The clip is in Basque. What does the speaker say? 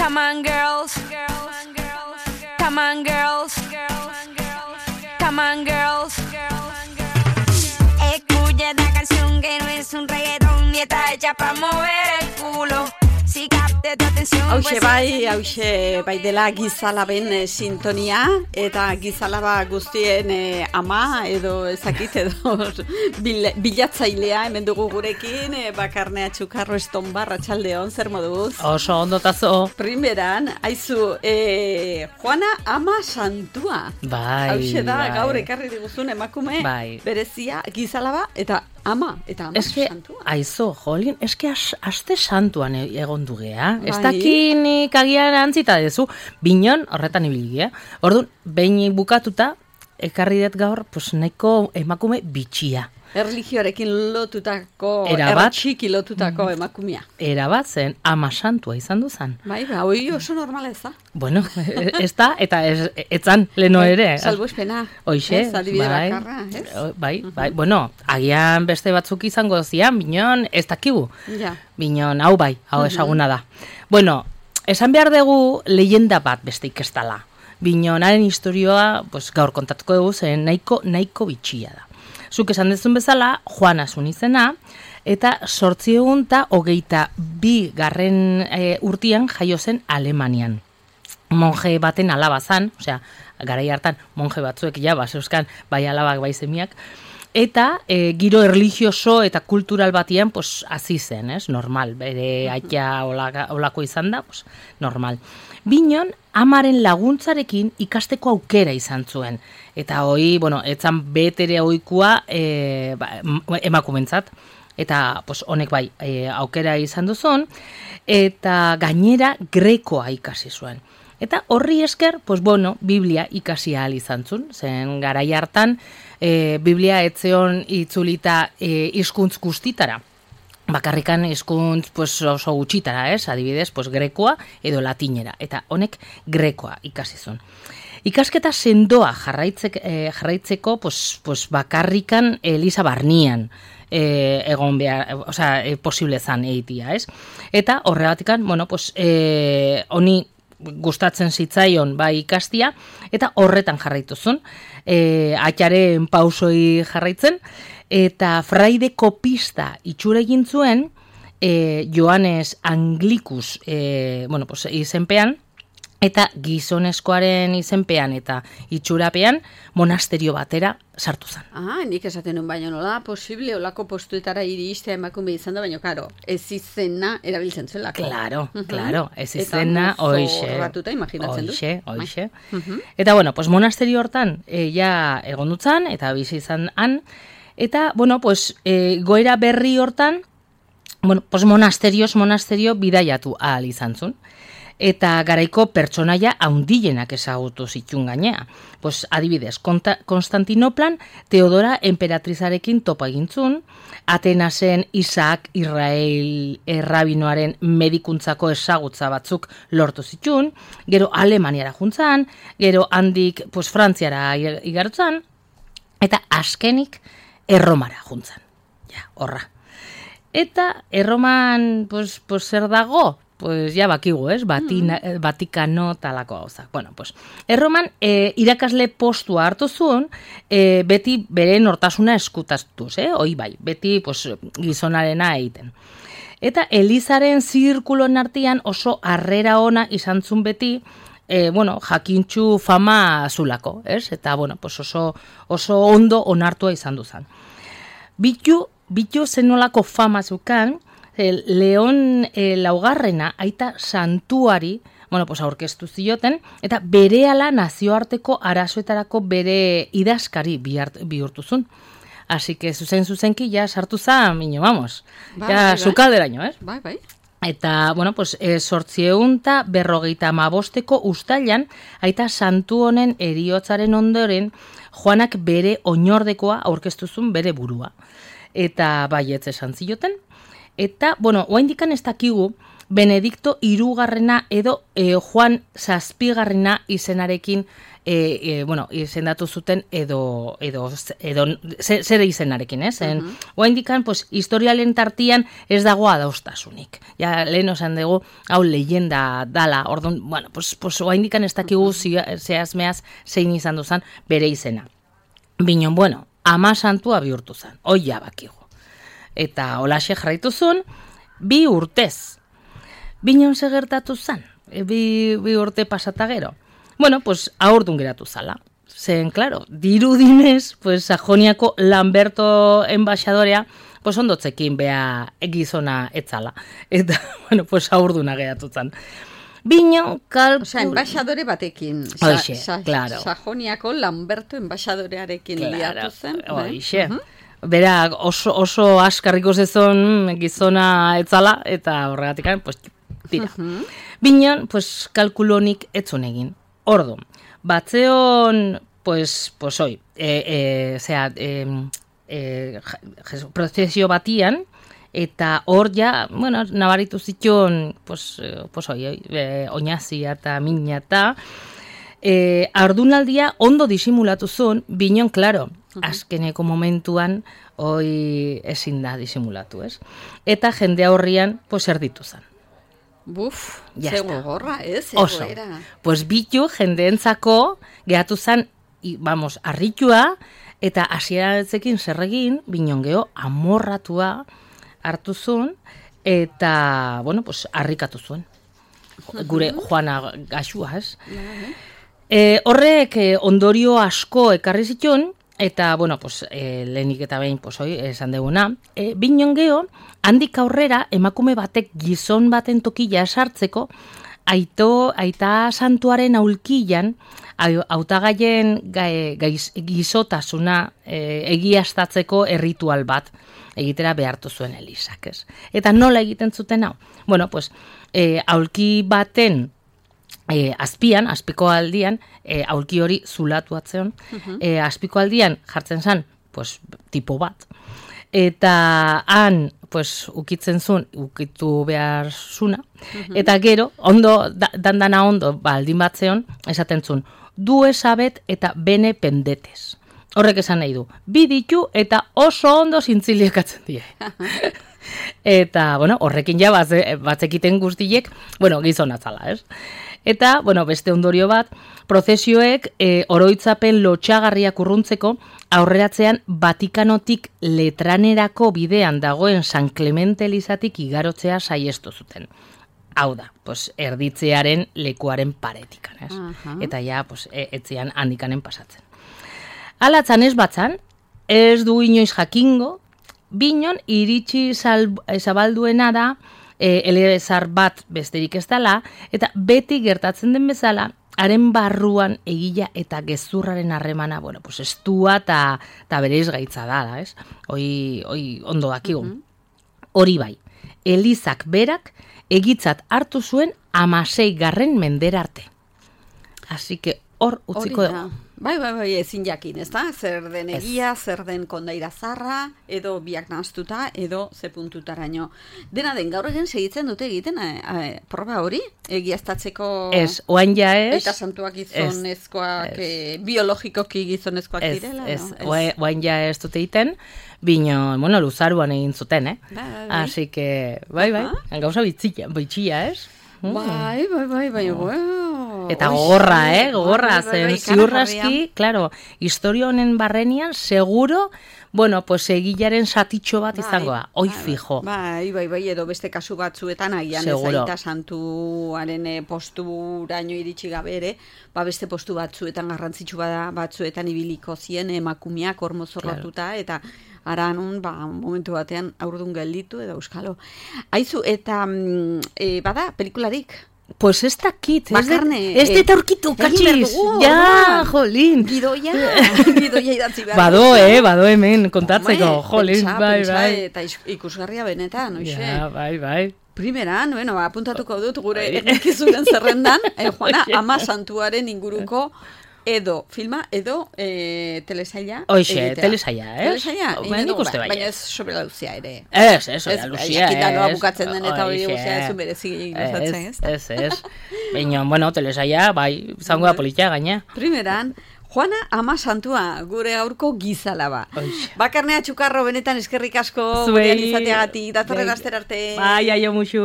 Come on, girls. Come on, girls. Come on, girls. Escucha esta canción que no es un reggaetón ni está hecha para mover el culo. Si capte tu atención. Hauxe bai dela Gizalaben sintonia, eta Gizalaba guztien ama edo ezakit edo bilatzailea hemen dugu gurekin, Bakarnea Txukarro Estonbar, arratsaldeon, zer moduz? Oso ondotazo. Primeran, aizu, Juana ama santua. Bai. Hauxe da, gaur ekarri diguzun emakume, berezia, Gizalaba eta ama santua. Aizo, jolin, eske aste santuan egon dugea. Ez dakinik agian antzita dezu, binon horretan ibili, Orduan, behin bukatuta, ekarri dut gaur, pues nahiko emakume bitxia. Erlijioarekin lotutako, erratxiki lotutako emakumea. Erabat zen, ama santua izan duzan. Bai, hoi oso normala ez da. Bueno, ez da, eta etzan leno ere. Salbo espena. Hoixe, bai. Bueno, agian beste batzuk izango zian, binon, ez dakigu. Ja. Binon, hau bai, hau esaguna da. Bueno, esan behar dugu leyenda bat besteik ez dala. Binonaren historioa, pues, gaur kontatuko dugu, zen nahiko bitxia da. Zuk esan dezun bezala, Juana zun izena, eta 822 urtean jaio zen Alemanian. Monje baten alaba zan, osea, garai hartan monje batzuek ja, baseuskan, bai alabak, bai semiak, eta giro erlijioso eta kultural batian, pues, hasi zen, normal, bere aita olako izan da, pues, normal. Binon, amaren laguntzarekin ikasteko aukera izan zuen. Eta hoi, bueno, etzan betere oikua emakumentzat. Eta, pues, honek bai, aukera izan duzun, eta gainera grekoa ikasi zuen. Eta horri esker, pues, bueno, Biblia ikasi ahal izan zuen. Zen garai hartan, Biblia etzeon itzulita hizkuntz guztitara. Bakarrikan hizkuntz pues, oso gutxitara, adibidez, pues, grekoa edo latinera. Eta honek grekoa ikasizun. Ikasketa sendoa jarraitzeko pues, bakarrikan Elisa Barnian egon behar, posible zan egitia, Eta horregatikan, bueno, pues, honi gustatzen zitzaion bai ikastia, eta horretan jarraituzun. Atxaren pausoi jarraitzen, eta fraide kopista itxura egin zuen Joanes Anglicus izenpean, eta gizonezkoaren izenpean eta itxurapean monasterio batera sartu zen. Nik esaten nun baina nola posible olako postuetara iristea emakume izan da, baina karo, ez izena erabiltzen zuelako. Claro, ez izena, hoixe. Eta zorratuta imaginatzen du. Hoixe. Eta, bueno, pues monasterio hortan ja egon dutzan, eta bizi izan han, eta, bueno, pues goera berri hortan, bueno, pues monasterio bidaiatu ahal izan zuen. Eta garaiko pertsonaia haundienak ezagutu zitun gainea. Pues, adibidez, Konstantinoplan Teodora emperatrizarekin topa egintzun, Atenasen Isaac Israel errabinoaren medikuntzako ezagutza batzuk lortu zitun, gero Alemaniara juntzan, gero handik pues, Frantziara igarutzan, eta azkenik Erromara juntzan. Ja, horra. Eta Erroman pues zer dago? Pues ya bakigu, Vatikano talako gauzak. Bueno, pues, Erroman irakasle postua hartu zuen, beti bere nortasuna eskutaztuz, hoi bai, beti pues, gizonarena egiten. Eta Elizaren zirkulon artean oso harrera ona izan zuen beti, jakintxu fama zulako, Eta, bueno, pues oso ondo onartua izan duzan. Bitu zenolako fama zukan, Leon laugarrena aita santuari, aurkeztu zioten, eta berehala nazioarteko arazoetarako bere idazkari bihurtu zuen. Así que zuzenki ja sartu zan, vamos, ja sukalderaino, Bai. Eta, 855 ustailan, aita santu honen heriotzaren ondoren, Juanak bere oinordekoa aurkeztu zuen bere burua. Eta baietz esan zioten. Eta, oraindikan ez dakigu, Benedikto hirugarrena edo Juan zazpigarrena izenarekin izendatu zuten edo zer izenarekin, ez? Oaindikan, pues, historialen tartian ez dago adostasunik. Ja, lehen osan dugu, hau leyenda dala, orduan, bueno, pues oaindikan ez dakigu zehazmeaz zein izan duzan bere izena. Binon, bueno, ama santua bihurtu zen, oia bakigu. Eta holaxe jarraitu zuen, 2 urtez. Binon segertatu zen, 2 urte pasata gero. Bueno, pues ahordun geratu zala. Zen, claro, dirudinez, pues Sajoniako Lamberto enbaixadorea, pues ondotzekin bea gizona etzala. Eta, bueno, pues ahorduna geratu zen. Binon kalkul... Osea, enbaixadore batekin. Claro. Sajoniako Lamberto enbaixadorearekin liatu zen. Oixe. Bera oso askarriko zezon gizona etzala, eta horregatik, pues, tira. Binon, pues, kalkulonik etzun egin. Ordu, batzeon, pues hoi, prozesio batian, eta hor ja, bueno, nabaritu zituen, pues hoi, oinazia eta mina eta, ardunaldia ondo disimulatu zuen, binon, klaro, azkeneko momentuan, hoi ezin da disimulatu, ez? Eta jende horrian, pues erditu zen. Buf, zego gorra, oso. Pues bitu jendeentzako gehatu zen, harritua, eta hasieratzekin zerregin, binon geho, amorratua hartu zuen, eta, bueno, pues harrikatu zuen. Gure Juana gaxua, ez? Horrek ondorio asko ekarri zituen, eta, bueno, pues, lehenik eta behin, pues, hoi, esan deguna, binon geho, handik aurrera, emakume batek gizon baten tokila esartzeko, aita santuaren aulkian, hautagaien gizotasuna egiaztatzeko erritual bat egitera behartu zuen Elisak, ez? Eta nola egiten zuten hau? Bueno, pues, aulki baten azpiko aldian, aulki hori zulatu atzeon, azpiko aldian jartzen zen, pues, tipo bat, eta han, pues, ukitzen zuen, ukitu behar zuna, eta gero, ondo, dandana ondo, baldin batzeon, esaten zuen, du esabet eta bene pendetes. Horrek esan nahi du, bi ditu eta oso ondo zintziliekatzen die. Eta, bueno, horrekin ja batzekiten guztiek, bueno, gizon atzala, ez? Eta, bueno, beste ondorio bat, prozesioek oroitzapen lotxagarriak urruntzeko, aurreratzean Vatikanotik Letranerako bidean dagoen San Clemente Elizatik igarotzea saiestu zuten. Hau da, pues, erditzearen lekuaren paretikan, ez? Eta ja, pues, etzian handikanen pasatzen. Alatzan ez batzan, ez du inoiz jakingo, binon iritsi zabalduena da, elezar bat besterik ez dela, eta beti gertatzen den bezala, haren barruan egila eta gezurraren harremana, bueno, pues estua eta bereiz gaitza dala, ez? Hoi ondo dakigu. Hori bai, Elizak berak egitzat hartu zuen 16. mendera arte. Así que hor utziko dugu. Bai, ezin jakin, ez da? Zer den egia, zer den kondaira zarra, edo biak nahaztuta, edo ze puntutaraino. Dena den, gaur egin segitzen dute egiten proba hori? Egiaztatzeko... Ez, oain ja ez. Eta santuak gizonezkoak, biologikoki gizonezkoak direla? Ez, oain ja ez dute egiten, bino, bueno, luzaruan egin zuten, Así que, bai, gauza bitxia, ez? Bai, Eta gogorra, zen ziurraski, claro, historia honen barrenian, seguro, bueno, pues egilaren satitxo bat izango da, oi fijo. Bai, edo beste kasu batzuetan, agian ez aita santuaren posturaino iritsi gabe ere, beste postu batzuetan garrantzitsu batzuetan ibiliko zien emakumeak hormozorratuta, eta ara nun, momentu batean aurdun gelditu edo euskalo. Aizu, eta bada, pelikularik? Pues ez dakit, ez deta aurkitu, katxiz. Ja, jolin. Gidoia idatzi behar. Bado hemen kontatzeko, jolin, bai. Eta ikusgarria benetan, oixe. Ja, bai. Primeran, bueno, apuntatuko dut gure egikizunen zerrendan, Juana, ama santuaren inguruko edo filma, edo telesaila. Hoxe, telesaila, ez? Telesaila, Nik uste bai. baina ez sobre la Luzia ere. Ez, Luzia, ez. Jakita noa bukatzen den eta hori guztia ez berezi gustatzen, ez? Ez. Baina, bueno, telesaila, bai, zango da politia gaina. Primeran, Juana Ama Santua, gure gaurko gizalaba. Bakarnea Txukarro, benetan eskerrik asko, gurean izateagatik, datorren aster arte. Bai, aio musu.